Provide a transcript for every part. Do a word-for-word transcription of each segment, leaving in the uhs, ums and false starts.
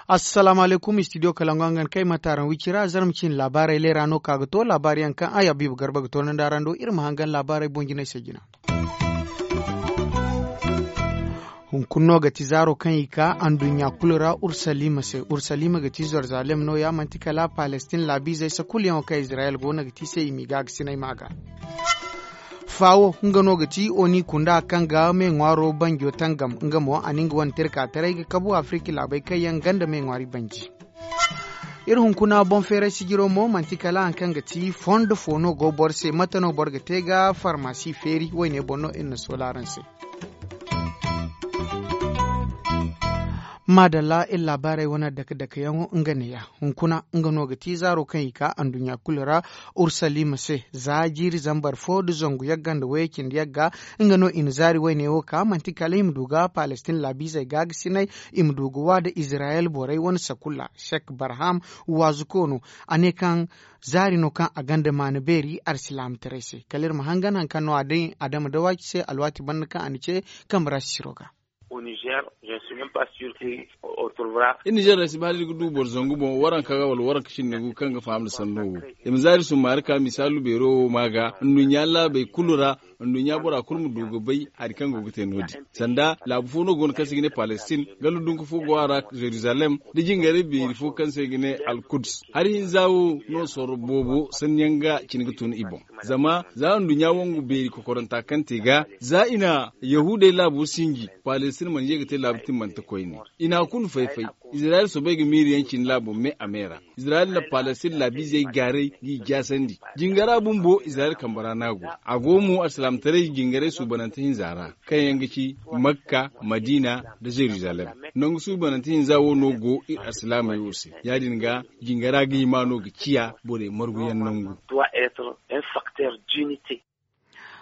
Assalaamu alaykum, istidiyo kalangu hangan kay mate araŋ wicira zarma cine laabaarey leera no ka ga to laabaari yaŋ kaŋ ay habiibu garba ga toonandi araŋ do iri ma hangan laabaarey boŋ jinay se jina. Hunkuna no ga ti zaaro kaŋ i ka anduɲɲa kulu ra urusalima se urusalima ga ti zerizalem no- ya manti kala palestin laabiizey se kulu yaŋo kaŋ izirayel go no ga ti se i m'i gaagasinay ma ga. Faawo nga no ga ti oni kunda kaŋ ga me ŋwaaro banjo tangam nga mo a na nga wane tirkaataray ga kabu afirika laabey kaŋ yaŋ ganda me ŋwaari banji. Iri hunkuna boŋ feeray sijiro mo manti kala hari kaŋ ga ti fondo fo no go boro se mate no boro ga te ga farmasi feeri wayne boŋ no iri na soola araŋ se. Maadalla iri laabaarey wane dake dake yaŋo nga neeya. Hunkuna nga no ga ti zaaro kaŋ i ka anduɲɲa kulu ra urusalima se za jiiri zambar fo nda zangu yagga nda wayey cindi yagga. Nga no i na zaari wayne wo ka manti kala i ma du ga palestin laabiizey gaagasinay i ma du ga wa nda izirayel borey wane sakulla sek barham waazuko no. A ne kaŋ zaari no kaŋ a gonda maana beeri alsilaamataray se kala iri ma hangan hari kaŋ no a day adama dawaaci se alwaati banda kaŋ a na ce kambe ra sisiro ga. Iri nizer ra si ba hala iri ga du boro zangu boŋ waranka ga wala waranka cindi gu kaŋ ga faham nda sanno wo. I ma zaari summaari ka misaalu beero wo ma ga nduɲɲa laabey kulu ra. Nduɲɲa bora kulu ma du ga bay hari kaŋ go ga te no- din sanda laabu fo no go no kaŋ se i ga ne palestin ganda dunka fo go a ra zerizalem nda jingaray beeri fo kaŋ se i ga ne alkuds. Hari hinza wo no sorro boobo sanni yaŋ ga cine ga tun i boŋ. Zama za nduɲɲa wangu beeri kokoranta kaŋ te ga za i na yahuudey laabo sinji palestin mana ye ga te laabu timmante koyne. I na a kulu fay-fay. Izirayel soobay ga miiri yaŋ cine laabo me a me ra. Izirayel na palestin laabiizey gaaray g'i jaasandi. Jingara bumbo izirayel kambe ra no a go. A go mo alsilaamataray jingaray suubanante hinza ra kaŋ yaŋ ga ci makka, madiina, nda zerizalem. Nangu suubanante hinza wo no go iri alsilaamey wo se. Ya- din ga jingara ga hima no ga ciya borey marguyaŋ nangu.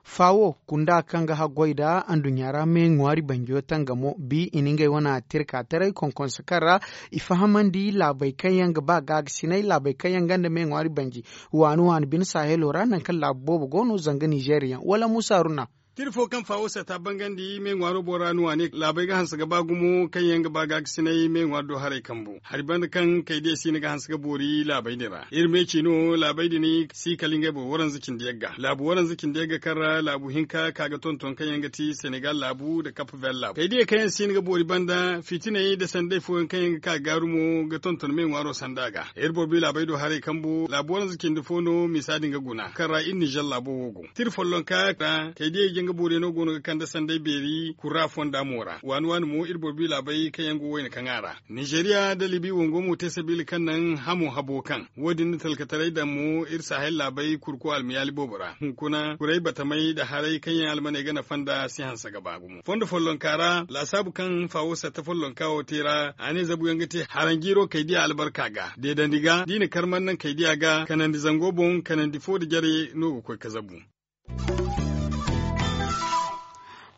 Faawo kunda kaŋ ga haggoy nda anduɲɲa ra me ŋwaari banjo tangamo bi i na ngey wane tirka taray konkonse kaŋ ra i fahamandi laabey kaŋ yaŋ ga ba gaagasinay laabey kaŋ yaŋ gonda me ŋwaari banji. Waani waani bine sahelo ra nangu kaŋ laabu boobo go no zanga nizeeriyaŋ wala muusa haruna. Tira fo kaŋ faawo sata bangandi me ŋwaaro boŋ ra no a ne laabey ga hanse ga ba gumo kaŋ yaŋ ga ba gaagasinay me ŋwaari do haray kambu hari banda kaŋ kaydiya siina ga hanse ga boori laabey din ra iri me ci no laabey din si kala ngey boro waranza cindi yagga laabu waranza cindi yagga kaŋ ra laabu hinka ka ga tonton kaŋ yaŋ ga ti senegal laabu nda kap ver laabu kaydiya kaŋ yaŋ siina ga boori banda fitiney nda sanday fooyaŋ kaŋ yaŋ ga ka ga gaaru mo ga tonton me ŋwaaro sanda ga iri boro bi laabey do haray kambu laabu waranza cindi fo no misa din ga guna kaŋ ra iri nizer laabo wo go. Tira follonka ra kaydiya janga booriyaŋo go no ga kande sanday beeri kura fonda mo ra waani waani mo iri boro bi laabey kaŋ yaŋ go wayna kaŋ a ra. Nizeeriya nda libi wango mo te sabiila kaŋ naŋ hamo habo kaŋ wo- din na talkataray daŋ mo iri sahel laabey kurko almayaali boobo ra hunkuna kuray batamey nda haray kaŋ yaŋ almaney ga nafa nd'a si hanse ga ba gumo fondo follonka ra laasaabu kaŋ faawo satta follonka wo te ra a ne zabuyaŋ ga te haranjiiro kaydiya albarka ga deedandi ga da i na karmar naŋ kaydiya ga kanandi zango boŋ kanandi fo nda jare no ga koy ga zabu.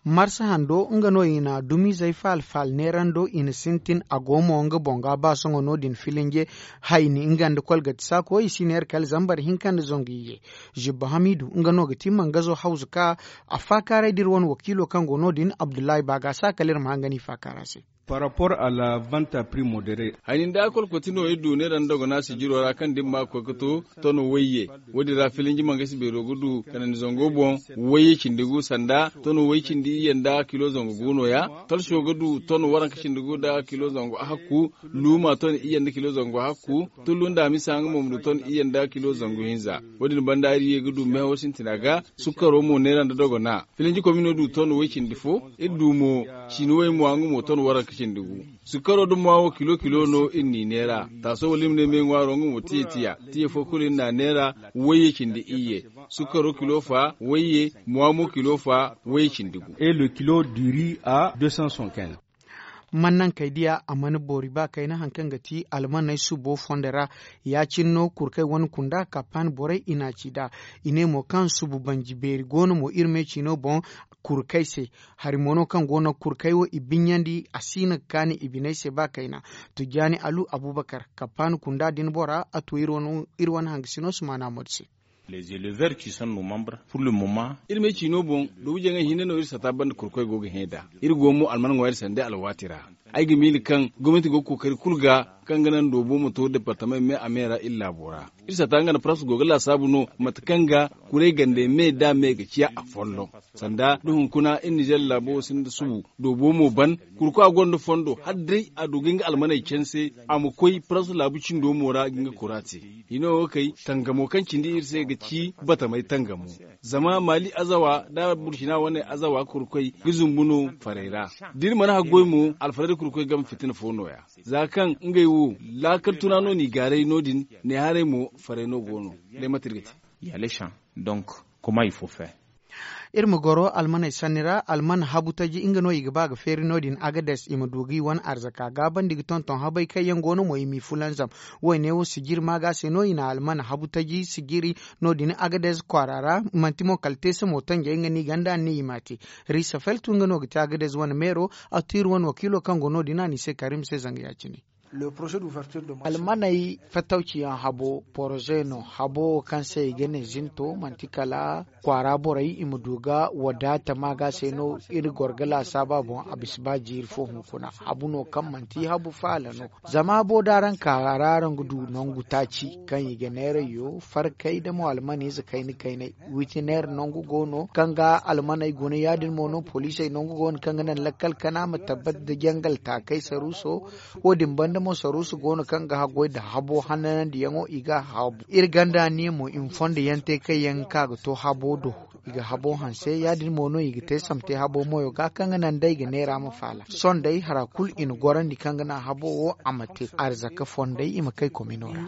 Marsa hando nga no i na dumizey faala faala neerando i na sintin a go mo nga boŋ ga ba sohõ no- din filinje hayni nga nda kolgati saako i si neera kala zambar hinka nda zangu iyye. Zibba hamiidu nga no ga ti mangazo hawzu ka a faakaaray da iri wane wakiilo kaŋ go no- din abdullahi baagasa kala iri ma hangan i faakaara se. Par rapport à la vente à prix modéré. Hayni nda kolkoti no iri du neera nda dogona sijiro ra kaŋ da iri ma koy ga to tono wayye. Wo- din ra filinji mangasi beero ga du kanandi zango boŋ wayye cindi gu sanda tono way cindi iyye nda kilo zangu gu no- ya. Talso ga du tono waranka cindi gu nda kilo zangu ahakku. Luuma ton iyye nda kilo zangu hakku. Tullu nda a misa nga mo ma du ton iyye nda kilo zangu hinza. Wo- din banda iri ye ga du meho sintina ga. Sukkaro mo neera nda dogona filinji komino du ton way cindi fo. Iri du mo sinuwey mo nga mo ton waranka cindi gu. Sukkaro da mo wo kilo kilo no iri n'i neera. Taaso wala iri ma ne me ŋwaaro nga mo tiya tiya. Tiya fo kulu iri n'a neera. Wayye cindi iyye. Sukkaro kilo fa wayye mo a mo kilo fa wayye cindi gu. Et le kilo du riz à deux cent soixante-quinze. Man naŋ kay diya a mana boori ba kayna hari kaŋ ga ti almaney subo fondo ra. Ya- cine no kurkey wane kunda kapan borey i n'a ci nd'a. I ne mo kaŋ subu banji beeri go no mo iri me ciino boŋ. kurkey se. Hari mo no kaŋ go no kurkey wo i binyandi a si no ga kaani i biney se ba kayna. Tujjaani alu abubakar, kapaani kunda din bora a tu iri wane hangasino sumaana moodi se. Les éleveurs qui sont nos membres pour le moment. Iri ma ay ciino boŋ, dubu jaŋay hinne no iri sata banda kurkoy go ga hẽ nd'a. Iri go mo alman ŋwa iri sanda alwaati ra. Ay ga miila kaŋ gomnati go ga kookari kulu ga kaŋ ga naŋ doobo ma to departament me a me ra iri laabo ra. Iri sata nga nda pras go ga laasaabu no mate kaŋ ga kuray gande me nd'a me ga ciya afolloŋ. Sanda da hunkuna iri nizer laabo sinda subu doobo mo ban. Kurkoy a gonda fondo hala day a du ga nga almaney canse, a ma koy pras laabu cindo mo ra ga nga kura te. Hino wo kay tangamo kaŋ cindi iri se ga ci batamay tangamo. Zama maali azawa nda burkina wane azawa kurkoy ga zumbu no farey ra. Da iri mana haggoy mo alfarey da kurkoy game fitina fo no- ya. Za kaŋ ngey wo laakal tuna no n'i gaaray no- din, ne haray mo farey no go no. Day mate iri ga te? Yalesan. Donc, comment il faut faire? Iri ma goro almaney sanni ra. Alman habu taji nga no i ga ba ga feeri no- din agades i ma du ga i wane arzaka gaabandi ga tonton habey kaŋ yaŋ go no mo i m'i fulanzam. Wo- ne wo sijiri maaga se no i na alman habu taji sijiri no- din agades kwaara ra. Manti mo kala teese mo tanjey nga no i ganda a ne i m'a te. Riisa feltu nga no ga ti agades wane meero. A tu iri wane wakiilo kaŋ go no- din a n'i se karim se zanga ya- cine. Almaney fattawciyaŋ habo poroze no habo wo kaŋ se i ga ne zinto manti kala kwaara borey i ma du ga wadaata maaga se no. Iri goro ga laasaaba boŋ a bisa ba jiiri fo hunkuna habu no kaŋ manti habu faala no. Zama habo da araŋ ka ra araŋ ga du nangu taaci kaŋ i ga neerayyo farkay da mo almaniize kayna kaynay. Witineer nangu go no kaŋ ga almaney guna ya- din mo no poliisey nangu go no kaŋ ga naŋ lakkal kana ma tabbat nda jangal taakay saruuso. Wo- din banda mo saruuso go no kaŋ ga haggoy nda habo hananandiyaŋo i ga a habu iri ganda niya mo i ma fondo yaŋ te kaŋ yaŋ ga ka ga to habo do. I ga habo hanse ya- din mo no i ga te samte habo moyo ga kaŋ ga naŋ day ga neera ma faala sohõ day hara kulu i na gorandi kaŋ ga naŋ habo wo a ma te arzaka fondey i ma kay komino ra.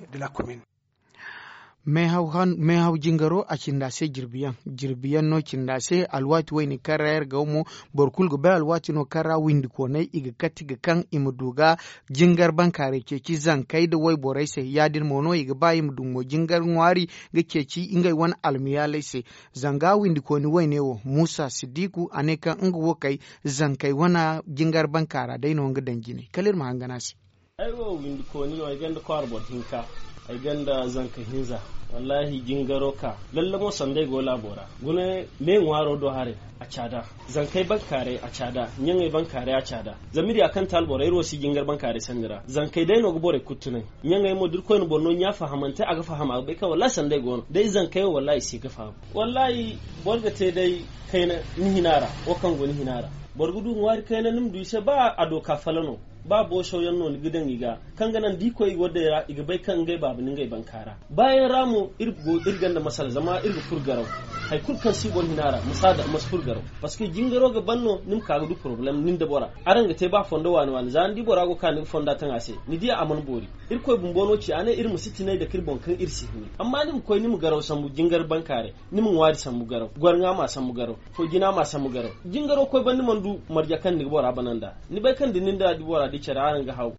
Meehaw jingaro a cinda se jirbi yaŋ. Jirbi yaŋ no cinda se alwaati wayne kaŋ ra iri ga wo mo. Boro kulu ga bay alwaati no kaŋ ra windikooney i ga kati ga kaŋ i ma du ga jingar bankaaray ceeci zankey nda wayborey se ya- din mo no i ga ba i ma du mo jingar ŋwaari ga ceeci ngey wane almayaaley se. Zanga windikooni wayne wo muusa siddiku a ne kaŋ nga wo kay zankey wane jingar bankaara day no nga daŋ jine kala iri ma hangan a se. Ay wo windikooni wo ay gonda kwaara boro hinka. Ay gonda zanka hinza. Wallaahi jingaro ka lalle mo sanda ay go laabo ra. Guna me ŋwaaro do haray a caada. Zankey bankaaray a caada. Ɲaŋey bankaaray a caada. Zama iri ya kaŋ te alboro iri wo si jingar bankaaray sanni ra zankey day no ga borey kulu tunay. Ɲaŋey mo da irkoy na boro no ɲa fahamante a ga faham a ga bay kaŋ wallaahi sanda ay go no day zankey wo wallaahi i si ga faham. Wallaahi boro ga te day kayna ni hina ra. Wo kaŋ go ni hina ra boro ga du ŋwaari kayna ni ma du i se ba a do ka fala no. Ba booso yaŋ no ni ga daŋ i ga kaŋ ga naŋ da i koy i go day ra i ga bay kaŋ ngey baaba na ngey bankaara. Baayaŋ ra mo iri ganda masala zama iri ga furo garaw. Hari kulu kaŋ si boro hina ra ma si a daŋ ma si furo garaw. Parceque jingaro ga ban no ni ma ka ga du porobalem nin da bora. Araŋ ga te ba fondo waani waani za ni di bora go ka ni ga fonda taŋ a se ni di a mana boori. Irkoy bumbo no ci a ne iri ma si tinay dake iri boŋ kaŋ iri si hini amma ni ma koy ni ma garaw sambu jingar bankaaray. Ni ma ŋwaari sambu garaw gwarŋa ma sambu garaw. Fo jina ma sambu garaw. Jingaro koy banda mana du marje kaŋ ni ga bora bana nd'a. Ni bay kaŋ da nin da bora di care araŋ ga haw.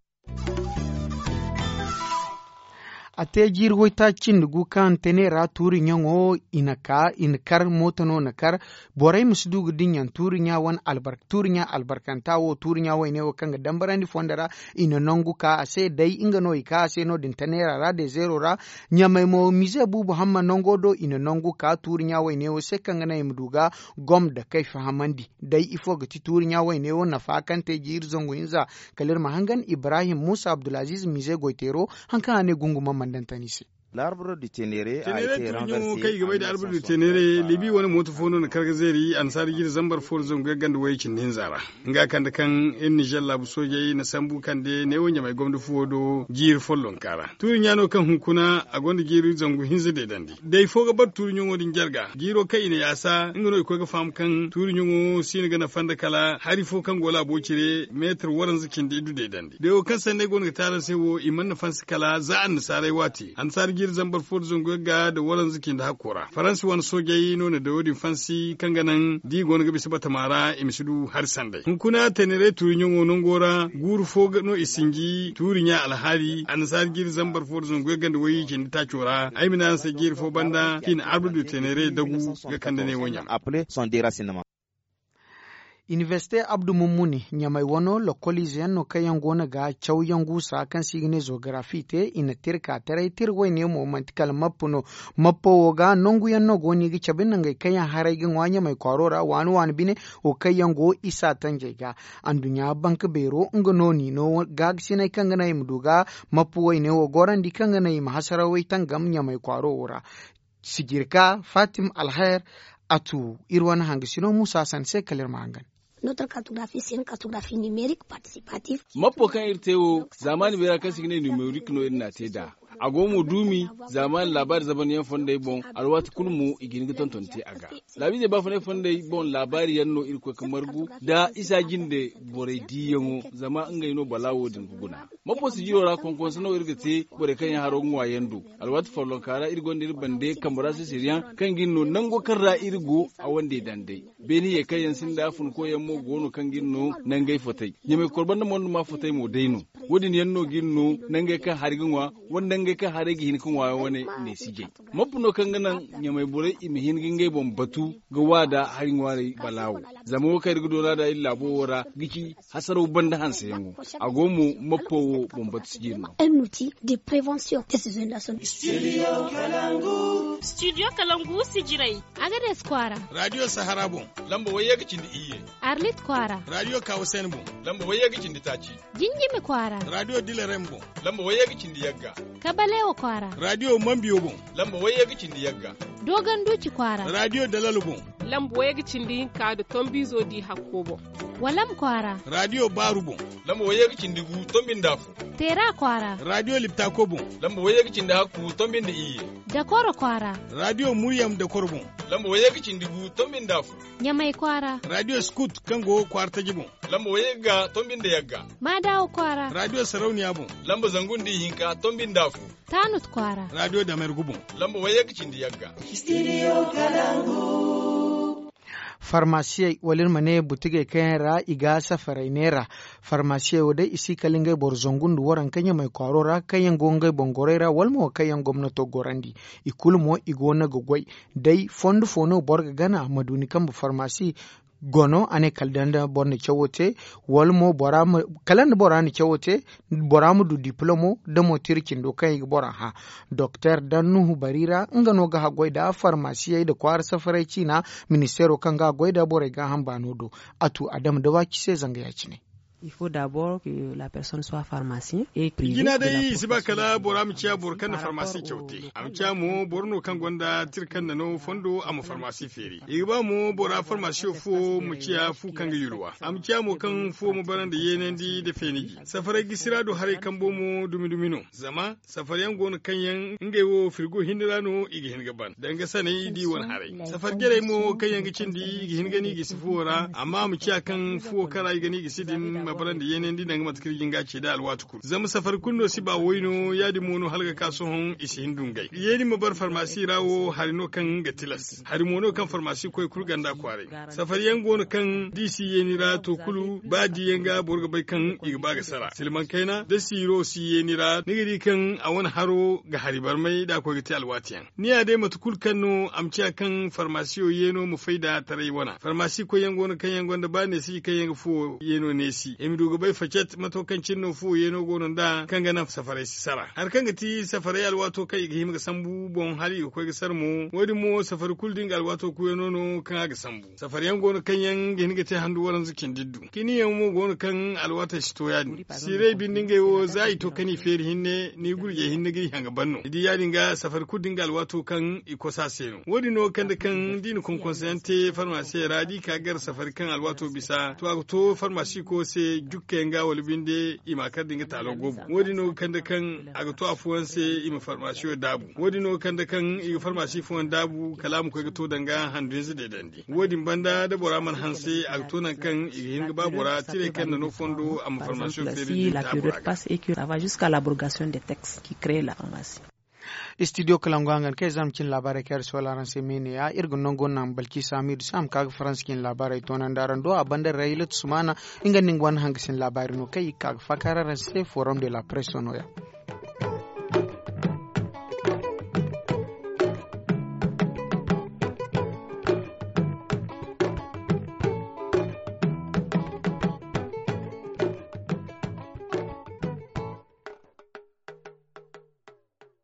A te jiiri waytaaci cindi gu kaŋ tene ra tuuri ɲaŋo i na ka i na kar mooto no na kar. Borey ma si du ga dinya tuuri ɲa wane albarka tuuri ɲa albarkanta wo tuuri ɲa wayne wo kaŋ ga dambarandi fondo ra. I na nangu ka a se day nga no i ka a se no- din taneera ra dezeero ra. Ɲamey mo mize buubu hamma nango do i na nangu ka tuuri ɲa wayne wo se kaŋ ga naŋ i ma du ga gom da kay fahamandi. Day ifo ga ti tuuri ɲa wayne wo nafa kaŋ te jiiri zangu hinza. Kala iri ma hangan ibrahim muusa abdulaziiz mize goyteero. Hari kaŋ a ne gungu ma mandantan i se. Tenere tuuri ɲaŋo kaŋ i ga bay nda albur du tenere libi wane mooto fo no na kar ga zeeri annasaara jiiri zambar fo nda zangu yagga nda wayey cindi hinza ra. Nga kande kaŋ iri nizer laabu soojey na sambu kande neewo ɲamey gomna fuwo do jiiri follonka ra. Tuuri ɲa no kaŋ hunkuna a gonda jiiri zangu hinza deedandi day fo ga bara tuuri ɲaŋo din jarga jiiro kaŋ i na yaasa nga no i koy ga faham kaŋ tuuri ɲaŋo siina ga nafa nda kala hari fo kaŋ go laabo cire meetar waranza cindi iddu deedandi day wo kaŋ sanda ay go no ga te araŋ se wo i mana nafa nda se kala za annasaarey waati annasaara jiiri zambar fo nda zangu yagga nda waranza cindi hakko ra faransi wane soojey no na dayo din fansi kaŋ ga naŋ da i go no ga bisa batama ra i ma si du hari sanday hunkuna tenere tuuri ɲaŋo nango ra guuru fo no i sinji tuuri ɲa alhaali annasaara jiiri zambar fo nda zangu yagga nda wayye cindi taaco ra ay ma ne araŋ se jiiri fo banda kaŋ i na arbre du tenere dagu ga kande ne wo ɲaŋ. Appelé son déracinement. Inibersite abdu mummuni ɲamey wano lokoliize yaŋ no kaŋ yaŋ go no ga cawyaŋ guusa kaŋ se i ga ne zogarafi te. I na tirka taray tira wayne mo manti kala mappa no. Mappa wo ga nangu yaŋ no go no i ga cabe nangey kaŋ yaŋ haray ga ŋwa ɲamey kwaaro ra waani waani bine. Wo kaŋ yaŋ go isa tanjey ga anduɲɲa banka beero nga no no i no gaagasiney kaŋ ga naŋ i ma du ga mappa wayne wo gorandi kaŋ ga naŋ i ma hasarawey tangam ɲamey kwaaro wo ra. Sijirka fatim alhair a tu iri wane hangasino muusa sanni se kala iri ma hangan. Notre cartographie c'est une cartographie numérique participative. Mappo kaŋ iri te wo, zaamaani beera kaŋ se i ga ne numerik no iri n'a te nd'a. A go mo duumi zaamaani laabaari zabanyaŋ fondey boŋ. Alwaati kulu mo i ga hin ga tonton te a ga. Laabiizey baafunay fondey boŋ laabaari yaŋ no iri koy ga margu nda isa jinde borey diiyaŋo, zama ngey no balaawo din ga guna. Mappo sijiro ra konkonso no iri ga te borey kaŋ yaŋ haro ga ŋwa yaŋ do. Alwaati follonka ra iri gonda iri bande kambe ra sisiriyaŋ kaŋ ga iri no nango kaŋ ra iri go a wande daŋ day. Beene ye kaŋ yaŋ sinda funkoyaŋ mo go no kaŋ ga iri no nangey fotey. Ɲamey koro banda mondo ma fotey mo day no. Wo- din yaŋ no ga iri no nangey kaŋ hari ga ŋwa wala nangey kaŋ haray ga hin ga ŋwa yaŋ wane neesijey. Mappa no kaŋ ga naŋ ɲamey borey i ma hin ga ngey boŋ batu ga waada hari ŋwaaray balaawo. Zama wo kaŋ iri ga doona nd'a iri laabo wo ra ga ci hasaraw banda hanseyaŋo. A go mo mappo wo boŋ batu sijiri no. Studio kalangu sijirey. Agades kwaara. Radiyo sahara boŋ. Lamba wayye ga cindi iyye. Arlit kwaara. Radiyo kawasen boŋ. Lamba wayye ga cindi taaci. Jinjimi kwaara. Radiyo dilarem boŋ. Lamba wayye ga cindi yagga. Kabalewo kwaara. Radiyo mambiyo boŋ. Lamba wayye ga cindi yagga. Dogon duuci kwaara. Radiyo dalalo boŋ. Lamba wayye ga cindi hinka nda tombiizo di hakko boŋ. Walam kwaara. Radiyo baaru boŋ. Lamba wayye ga cindi gu tombi nda afo. Teera kwaara. Radiyo liptako boŋ. Lamba wayye ga cindi hakku tombi nda iyye. Dakoro kwaara. Radiyo muryam dakoro boŋ. Lamba wayye ga cindi gu tombi nda afo. Ɲamay kwaara. Radiyo skut kaŋ go kwaara taji boŋ. Lamba wayye ga tombi nda yagga. Maadawo kwaara. Radiyo sarauniya boŋ. Lamba zangu nda ihinka tombi nda afo. Taanut kwaara. Radiyo damergu boŋ. Lamba wayye ga cindi yagga. Farmasiyey wala iri ma ne butigey kaŋ yaŋ ra i ga safaray neera. Farmasiyey wo day i si kala ngey boro zangu nda waranka ɲamey kwaaro ra kaŋ yaŋ go ngey boŋ gorey ra wala mo kaŋ yaŋ gomnato gorandi. I kulu mo i go no ga goy. Day fondo fo no boro ga gana ma du ni kambe farmasi. Gono a ne kala da boro na cawo te wala mo kala nda bora na cawo te. Bora ma du diplomo da mo tira cindo kaŋ i ga bora hã. Doktor dan nuhu bari ra nga no ga haggoy nda farmasiyey nda kwaara safaray ciina. Ministeero kaŋ ga a goy nda borey gaaham baano do. A tu adama da waaci se zanga ya- cine. Jina day i si ba kala bora ma ciya boro kaŋ na farmasi caw te. A ma ciya mo boro no kaŋ gonda tira kaŋ na no fondo a ma farmasi feeri. I ga ba mo bora farmasiyo fo ma ciya fu kaŋ ga yulwa a ma ciya mo kaŋ fuwo ma bara nda yeenandi nda feeniji. Safaray gisi ra do haray kambo mo dumi dumi no. Zama safar yaŋ go no kaŋ yaŋ ngey wo firgo hinne ra no i ga hin ga ban danga sanay da i wane haray. Safar jarey mo kaŋ yaŋ ga cindi i ga hin ga ni gisi fuwo ra amma a ma ciya kaŋ fuwo kaŋ ra i ga ni gisi din ma bara nda yeenandi danga mate kaŋ iri ga hin ga a ce day alwaati kulu zama safar kulu no si ba way no ya- din mo no hala ga ka sohõ i si hin dungay yeeni ma bara farmasi ra wo hari no kaŋ ga tilas hari mo no kaŋ farmasi koy kulu ganda kwaaray. Safari yaŋ go no kaŋ da i si yeeni ra to kulu ba di yaŋ ga boro ga bay kaŋ i ga ba ga sara silmaŋ kayna da siiro si yeeni ra ni ga di kaŋ a wane haro ga hari barmay da a koy ga te alwaati yaŋ. Ni ya day mate kulu kaŋ no a ma ciya kaŋ farmasiyo yeeno ma fay da taray wana farmasi koy yaŋ go no kaŋ yaŋ gonda ba neesi kaŋ yaŋ ga fuwo yeeno neesi i ma du ga bay facet mato kaŋ cine no fuwo yeeno go no nda kaŋ ga naŋ safaray si sara hari kaŋ ga ti safaray alwaato kaŋ i ga hima ga sambu boŋ hala i ga koy ga sara mo wo- din mo safari kulu da nga alwaato kuuyano no kaŋ a ga sambu. Safari yaŋ go no kaŋ yaŋ ga hin ga te handu waranza cindi iddu kini yaŋ mo go no kaŋ alwaatey si to ya- din siirey binde ngey wo za i to kaŋ i feeri hinne ni gurjey hinne ga i haŋ ga ban no ni di ya- din ga safari kulu da nga alwaato kaŋ i kosa se no wo- din no ga kande kaŋ da i na konkonso yaŋ te farmasi ra da i ka gar safari kaŋ alwaato bisa to a ga to farmasi ko se jukka yaŋ ga wala binde i ma kar da nga taalo go boŋ wo- din no ga kande kaŋ a ga to afooyaŋ se i ma farmasiyo daabu wo- din no ga kande kaŋ i ga farmasi fooyaŋ daabu kala a ma koy ga to danga handu ize deedandi wo- din banda da bora mana hanse a ga to nangu kaŋ i ga hin ga ba bora tiray kaŋ na no fondo a ma farmasiyo feeri din taabura ga. Studio kalangu hangan kaŋ ay zama cine laabaarey kaŋ iri soola araŋ se me ne- ya iri ga nango naŋ balki samidu se a ma ka ga faransa cine laabaarey toonandi araŋ do a banda raylat sumana. Nga nda nga wane hangasin laabaari no kaŋ i ga ka ga faakar araŋ se forum de la presse no- ya.